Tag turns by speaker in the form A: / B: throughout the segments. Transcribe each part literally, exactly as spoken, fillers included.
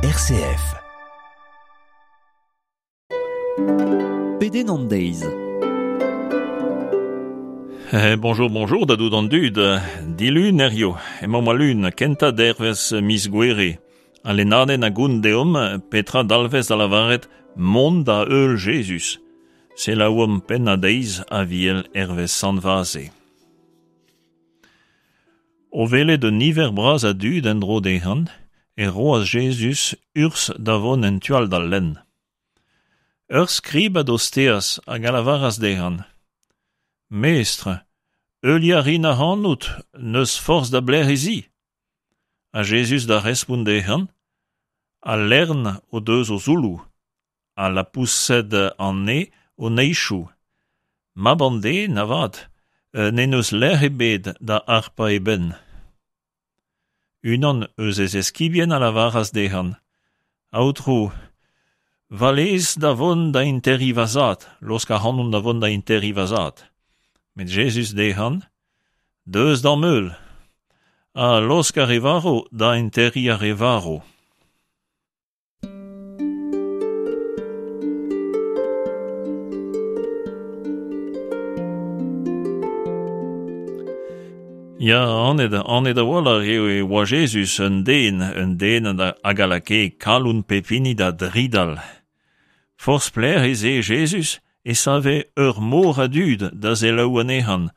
A: R C F.
B: Pedenn an deiz.
C: Eh, bonjour, bonjour da dout an dud. Dilun hirio, emañ al lun, kentañ dervezh miz Gouere. Al lennadenn a gont deomp petra dalvez da lavaret mont da heul Jezuz. Selaouomp pennad deiz Aviel hervez Sant Vaze. O welet un niver bras a dud en-dro dezhan, e roas Jezuz urzh da vont en tu all d'al lenn. Ur skrib a dosteas hag a lavaras dezhan: Mestr, heuliañ a rin ac'hanout, n'eus forzh da belec'h ez i. Ha Jezuz da respont dezhan: Al lern o deus o zoulloù, ha lapoused an neñv o neizhioù. Mab an den, avat, n'en deus lec'h ebet da harpañ e benn. Unan eus e zeskibien a lavaras dezhan: Aotrou, va lez da vont da enterriñ va zad, laosk ac'hanon da vont da enterriñ va zad. Met Jezuz dezhan: Deus d'am heul, ha laosk ar re varv da enterriñ ar re varv. Ya, anat, anat a-walc'h eo e oa Jezuz un den, un den hag a lakae kalon pep hini da dridal. Forzh pelec'h ez eo Jezuz e save ur mor a dud da selaou anezhan,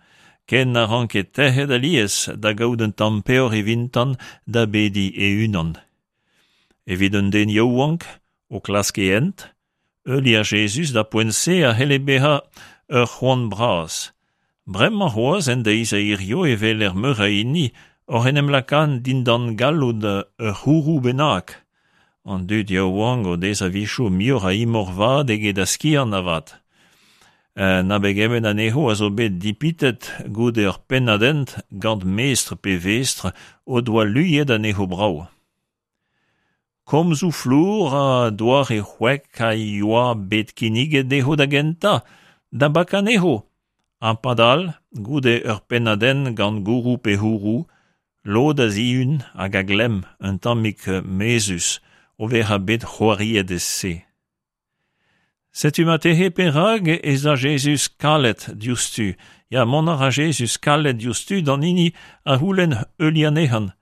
C: ken na ranke tec'het alies da gaout un tamm peoc'h evitan da bediñ e-unan. Evit un den yaouank, o klask e hent, heuliañ Jezuz da poent-se a c'helle bezañ ur c'hoant bras. Bremañ c'hoazh en deiz a hirio e weler meur a hini oc'h en em lakaat dindan galloud ur c'hourou bennak. An dud yaouank o dez a-wechoù muioc'h a imor vat eget a skiant avat. Na begement anezho a zo bet dipitet goude ur pennad-hent gant mestr pe vestr o doa luiet anezho brav. Komzoù flour ha doare c'hwek a yoa bet kinniget dezho da gentañ, da bakañ anezho. Ha padal, goude ur pennad-hent gant gourou pe c'hourou, lod a zihun hag a glemm un tammig mezhus o vezañ bet c'hoariet e-se. Setu marteze perak ez a Jezuz kalet diouzhtu. Ya, mont a ra Jezuz kalet diouzhtu d'an hini a c'houlenn heuliañ anezhan.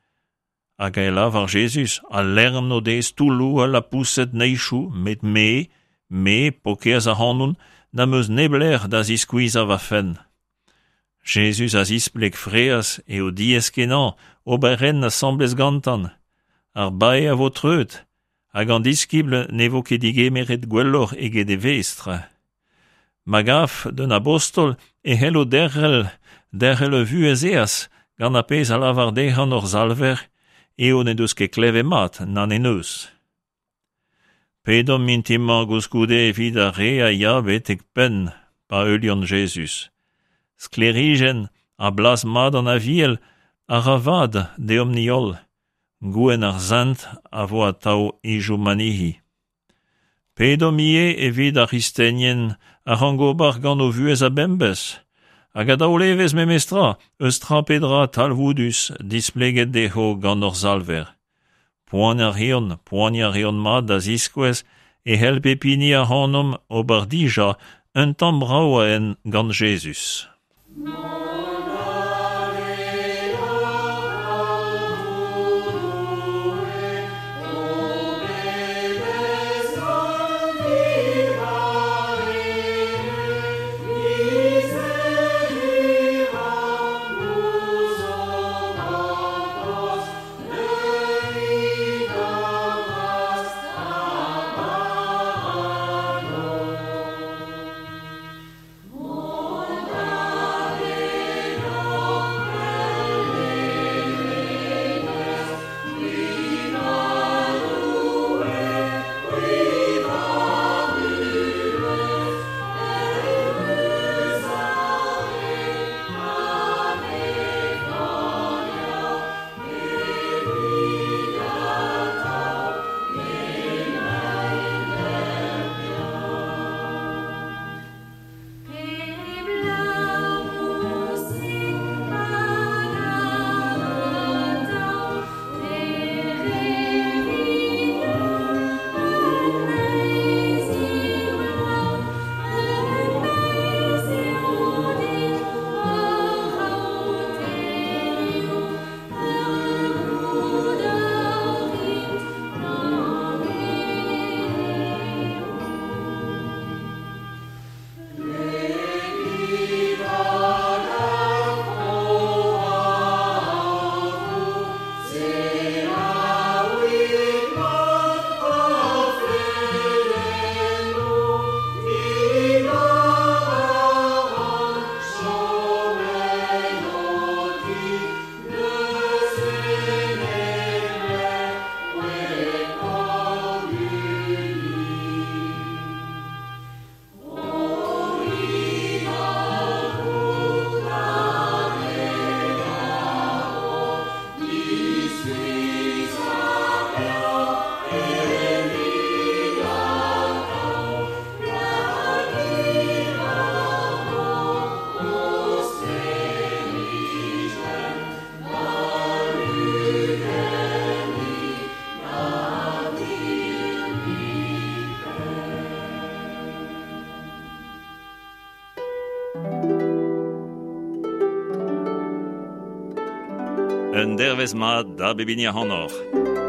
C: Hag e lavar Jezuz, al lern o dez toulloù ha lapoused neizhioù, met me, me, paourkaezh ac'hanon, n'am eus neblec'h da ziskuizhañ va fenn. Jezuz a zispleg fraezh eo diaes-kenañ ober hent asambles gantan. Ar bae a vo treut, hag an diskibl ne vo ket digemeret gwelloc'h eget e vestr. Ma gav d'un abostol e c'hello derc'hel, derc'hel ur vuhez aes gant ar pezh a lavar dezhan hor Salver, eo n'en deus ket klevet mat, na n'en deus. Pedomp mintin-mañ koulskoude evit ar re a ya betek penn pa heuliont Jezuz. Sklêrijenn ha blaz mat an Aviel a ra vad deomp-ni holl. Gouenn ar sent a vo atav hiziv manihi. Pedomp ivez evit ar c'hristenien a rank ober gant o vuhez a-bemdez, hag a daol evezh memestra eus tra pe dra talvoudus displeget dezho gant hor Salver. Poan a reont, poan a reont mat da ziskouez e c'hell pep hini ac'hanomp ober dija un tamm brav a hent gant Jezuz. Un dervezh mat da bep hini ac'hanoc'h.